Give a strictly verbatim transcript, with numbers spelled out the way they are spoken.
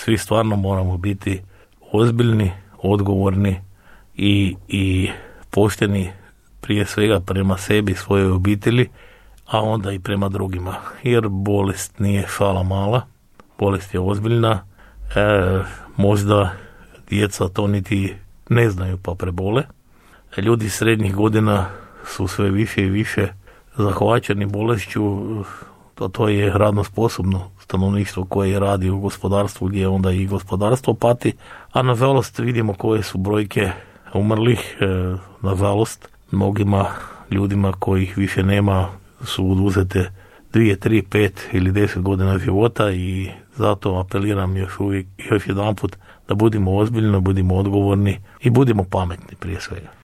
svi stvarno moramo biti ozbiljni, odgovorni i, i pošteni prije svega prema sebi, svojoj obitelji, a onda i prema drugima. Jer bolest nije šala mala, bolest je ozbiljna, e, možda djeca to niti ne znaju pa prebole. Ljudi srednjih godina su sve više i više zahvaćeni bolešću, to, to je radno sposobno stanovništvo koje radi u gospodarstvu gdje onda i gospodarstvo pati, a nažalost vidimo koje su brojke umrlih, e, nažalost mnogima ljudima kojih više nema su oduzete dvije, tri, pet ili deset godina života i zato apeliram još uvijek, još jedan put da budimo ozbiljni, budimo odgovorni i budimo pametni prije svega.